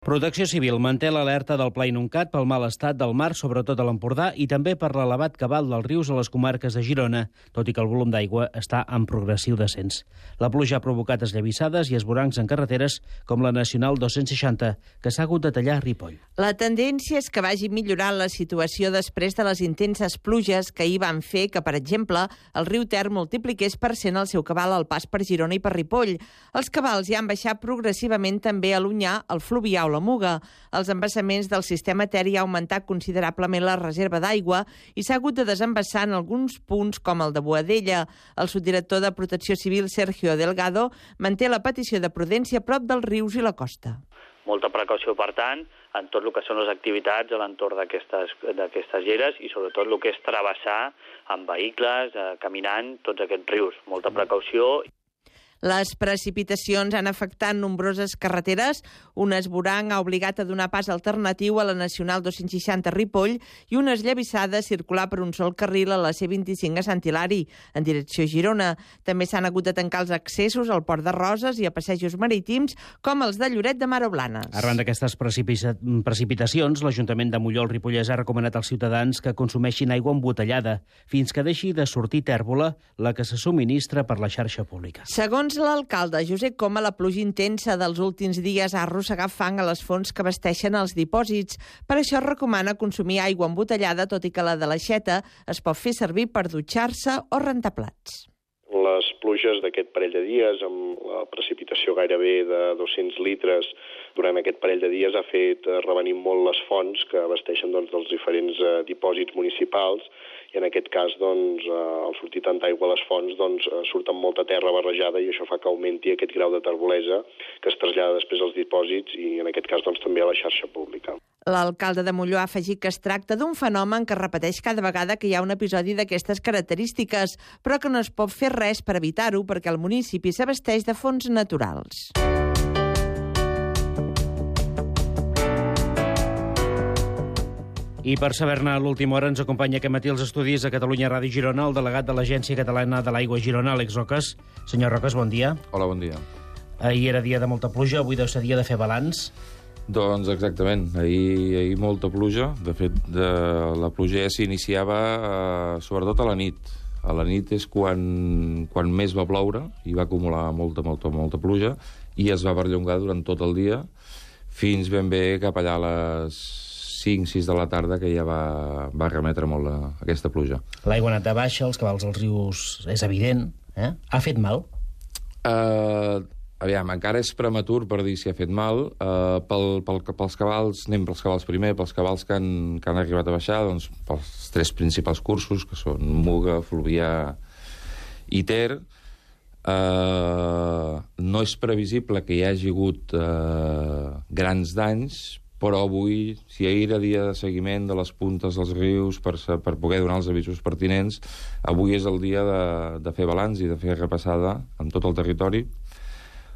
Protecció Civil manté l'alerta del Pla Inuncat pel mal estat del mar, sobretot a l'Empordà, i també per l'elevat cabal dels rius a les comarques de Girona, tot i que el volum d'aigua està en progressiu descens. La pluja ha provocat esllavissades i esvorancs en carreteres com la Nacional 260, que s'ha hagut de tallar a Ripoll. La tendència és que vagi millorant la situació després de les intenses pluges que ahir van fer que, per exemple, el riu Ter multipliqués per 100 el seu cabal al pas per Girona i per Ripoll. Els cabals ja han baixat progressivament també a l'Onyar, el Fluvià o la Muga. Els embassaments del sistema Ter ha augmentat considerablement la reserva d'aigua i s'ha hagut de desembassar en alguns punts com el de Boadella. El subdirector de Protecció Civil, Sergio Delgado, manté la petició de prudència a prop dels rius i la costa. Molta precaució, per tant, en tot el que són les activitats a l'entorn d'aquestes lleres i sobretot el que és travessar amb vehicles, caminant, tots aquests rius. Molta precaució. Les precipitacions han afectat nombroses carreteres. Un esvoranc ha obligat a donar pas alternatiu a la Nacional 260 a Ripoll i una esllavissada a circular per un sol carril a la C25 a Sant Hilari, en direcció a Girona. També s'han hagut de tancar els accessos al Port de Roses i a passejos marítims, com els de Lloret de Mar o Blanes. Arran d'aquestes precipitacions, l'Ajuntament de Molló al Ripollès ha recomanat als ciutadans que consumeixin aigua embotellada, fins que deixi de sortir tèrbola, la que se subministra per la xarxa pública. Segons l'alcalde Josep Coma, la pluja intensa dels últims dies ha arrossegat fang a les fonts que abasteixen els dipòsits. Per això recomana consumir aigua embotellada, tot i que la de l'aixeta es pot fer servir per dutxar-se o rentar plats. Les pluges d'aquest parell de dies, amb la precipitació gairebé de 200 litres durant aquest parell de dies, ha fet revenir molt les fonts que abasteixen dels diferents dipòsits municipals, i en aquest cas, al sortir tanta aigua a les fonts, surt amb molta terra barrejada i això fa que augmenti aquest grau de terbolesa que es trasllada després als dipòsits i en aquest cas també a la xarxa pública. L'alcalde de Molló ha afegit que es tracta d'un fenomen que es repeteix cada vegada que hi ha un episodi d'aquestes característiques, però que no es pot fer res per evitar-ho perquè el municipi s'abasteix de fonts naturals. I per saber-ne a l'última hora ens acompanya aquest matí als estudis de Catalunya Ràdio Girona el delegat de l'Agència Catalana de l'Aigua Girona, Àlex Roques. Senyor Roques, bon dia. Hola, bon dia. Ahir era dia de molta pluja, avui deu ser dia de fer balanç. Doncs exactament, ahir molta pluja. De fet, la pluja ja s'iniciava sobretot a la nit. A la nit és quan més va ploure i va acumular molta pluja i es va perllongar durant tot el dia fins ben bé cap allà a les 5-6 de la tarda, que ja va remetre molt aquesta pluja. L'aigua ha anat de baixa, els cabals dels rius és evident. Ha fet mal? Aviam, encara és prematur per dir si ha fet mal. Pels cabals, anem pels cabals primer, pels cabals que han arribat a baixar, doncs pels 3 principals cursos, que són Muga, Fluvià i Ter. No és previsible que hi hagi hagut grans danys, però avui, si ahir era dia de seguiment de les puntes dels rius per poder donar els avisos pertinents, avui és el dia de fer balanç i de fer repassada amb tot el territori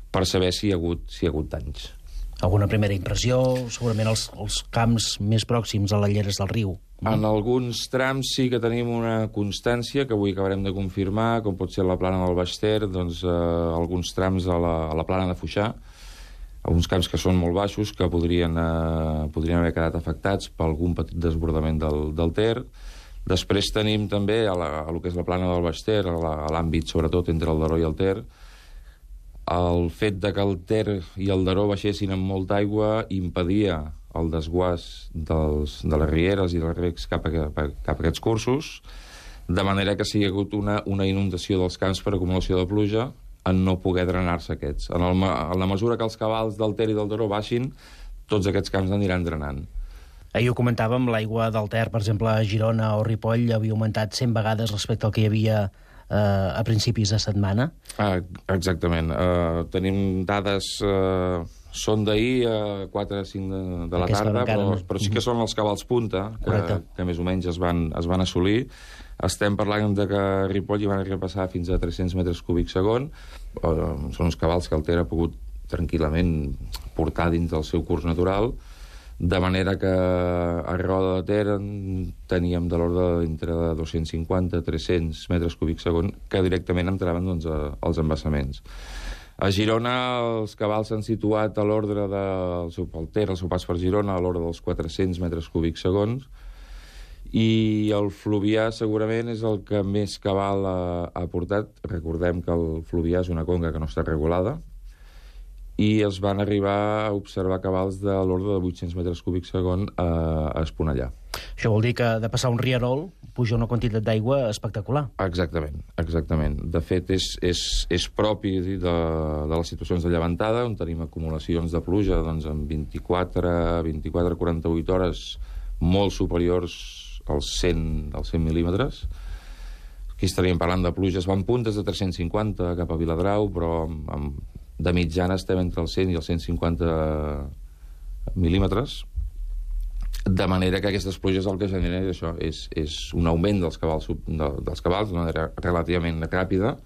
per saber si hi ha hagut danys. Alguna primera impressió? Segurament els camps més pròxims a les lleres del riu. En alguns trams sí que tenim una constància que avui acabarem de confirmar, com pot ser la plana del Baix Ter, alguns trams a la plana de Foixà, alguns camps que són molt baixos, que podrien haver quedat afectats per algun petit desbordament del Ter. Després tenim també a lo que és la plana del Baix Ter, a l'àmbit sobretot entre el Daró i el Ter, el fet de que el Ter i el Daró baixessin amb molta aigua impedia el desguàs de les rieres i dels recs cap a aquests cursos, de manera que sigui hagut una inundació dels camps per acumulació de pluja en no poder drenar-se aquests. En la mesura que els cabals del Ter i del Daró baixin, tots aquests camps aniran drenant. Ahir ho comentàvem, l'aigua del Ter, per exemple, a Girona o Ripoll, havia augmentat 100 vegades respecte al que hi havia a principis de setmana. Exactament. Tenim dades... Són d'ahir a 4 o 5 de la tarda, però sí que són els cabals punta, que més o menys es van assolir. Estem parlant de que a Ripoll hi van repassar fins a 300 metres cúbics segon. Són uns cabals que el Ter ha pogut tranquil·lament portar dins del seu curs natural, de manera que a Roda de Ter teníem de l'ordre d'entre 250 i 300 metres cúbics segon que directament entraven als embassaments. A Girona els cabals s'han situat a l'ordre del seu Ter, el seu pas per Girona, a l'ordre dels 400 metres cúbics segons, i el Fluvià segurament és el que més cabal ha portat. Recordem que el Fluvià és una conca que no està regulada, i es van arribar a observar cabals de l'ordre de 800 metres cúbics segon a Esponellà. Això vol dir que de passar un rierol puja una quantitat d'aigua espectacular. Exactament, exactament. De fet, és propi de les situacions de llevantada, on tenim acumulacions de pluja doncs, en 24-48 hores molt superiors als 100 mil·límetres. Aquí estaríem parlant de pluges van puntes de 350 cap a Viladrau, però de mitjana estem entre els 100 i els 150 mil·límetres, de manera que aquestes pluges el que generen és un augment dels cabals d'una manera relativament ràpida,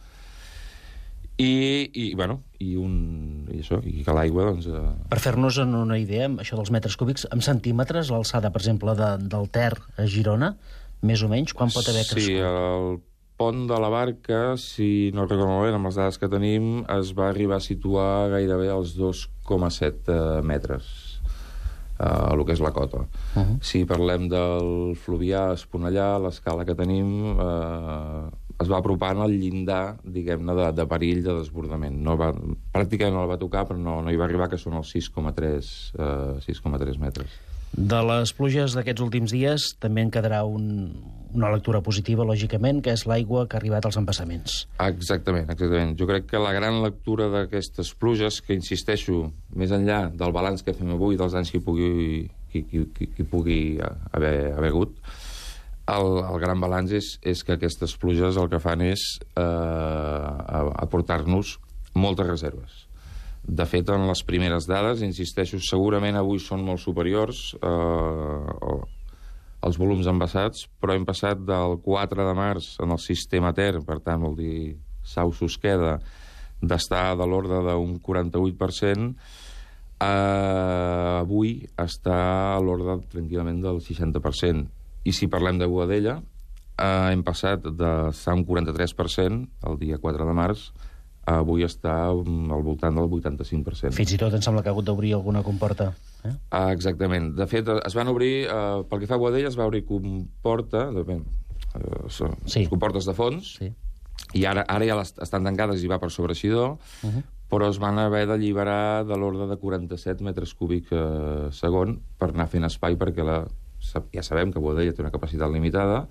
i que l'aigua doncs... Per fer-nos una idea, això dels metres cúbics, en centímetres, l'alçada, per exemple, del Ter a Girona, més o menys, quan pot haver crescut? Sí, el pont de la Barca, si no recordo molt bé, amb les dades que tenim, es va arribar a situar gairebé als 2,7 metres, el que és la cota. Si parlem del Fluvià, Esponellà, l'escala que tenim es va apropant al llindar, diguem-ne, de perill de desbordament. Pràcticament no la va tocar, però no hi va arribar, que són els 6,3 metres. De les pluges d'aquests últims dies també en quedarà una lectura positiva, lògicament, que és l'aigua que ha arribat als embassaments. Exactament. Jo crec que la gran lectura d'aquestes pluges, que insisteixo, més enllà del balanç que fem avui, dels anys que hi pugui haver hagut, el gran balanç és que aquestes pluges el que fan és aportar-nos moltes reserves. De fet, en les primeres dades, insisteixo, segurament avui són molt superiors als volums embassats, però hem passat del 4 de març en el sistema Ter, per tant, vol dir Sau-Susqueda, d'estar de l'ordre d'un 48%, avui està a l'ordre tranquil·lament del 60%. I si parlem de Boadella, hem passat d'estar un 43% el dia 4 de març, avui està al voltant del 85%. Fins i tot em sembla que ha hagut d'obrir alguna comporta. Exactament. De fet, es van obrir, pel que fa a Boadella, es va obrir comportes de fons, i ara ja estan tancades i va per sobreeixidor, però es van haver d'alliberar de l'ordre de 47 metres cúbics segon per anar fent espai, perquè ja sabem que Boadella té una capacitat limitada,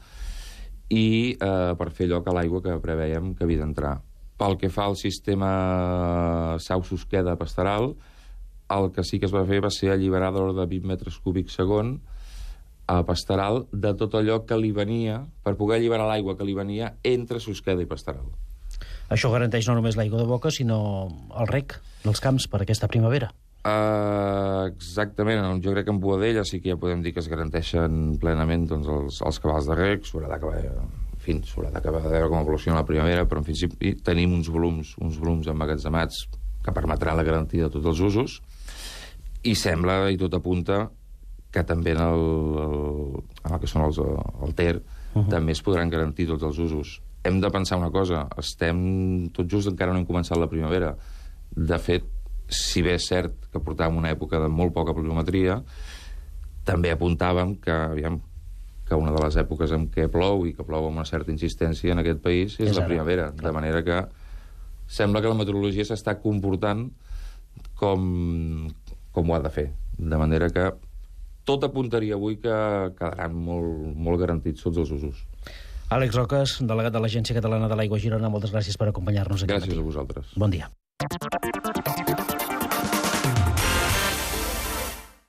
i per fer lloc a l'aigua que prevèiem que havia d'entrar. Pel que fa al sistema Sau-Susqueda-Pasteral, el que sí que es va fer va ser alliberar de l'ordre de 20 metres cúbics segon a Pasteral de tot allò que li venia, per poder alliberar l'aigua que li venia entre Susqueda i Pasteral. Això garanteix no només l'aigua de boca, sinó el rec dels camps per aquesta primavera. Exactament. Jo crec que en Boadella sí que ja podem dir que es garanteixen plenament doncs, els cabals de rec. S'haurà d'acabar de veure com evoluciona la primavera, però en principi tenim uns volums emmagatzemats que permetrà la garantia de tots els usos, i sembla, i tot apunta, que també en el que són el Ter també es podran garantir tots els usos. Hem de pensar una cosa, estem tot just, encara no hem començat la primavera. De fet, si bé és cert que portàvem una època de molt poca pluviometria, també apuntàvem que una de les èpoques en què plou, i que plou amb una certa insistència en aquest país, és la primavera. De manera que sembla que la meteorologia s'està comportant com ho ha de fer. De manera que tot apuntaria avui que quedaran molt garantits tots els usos. Àlex Roques, delegat de l'Agència Catalana de l'Aigua a Girona, moltes gràcies per acompanyar-nos aquest matí. Gràcies a vosaltres. Bon dia.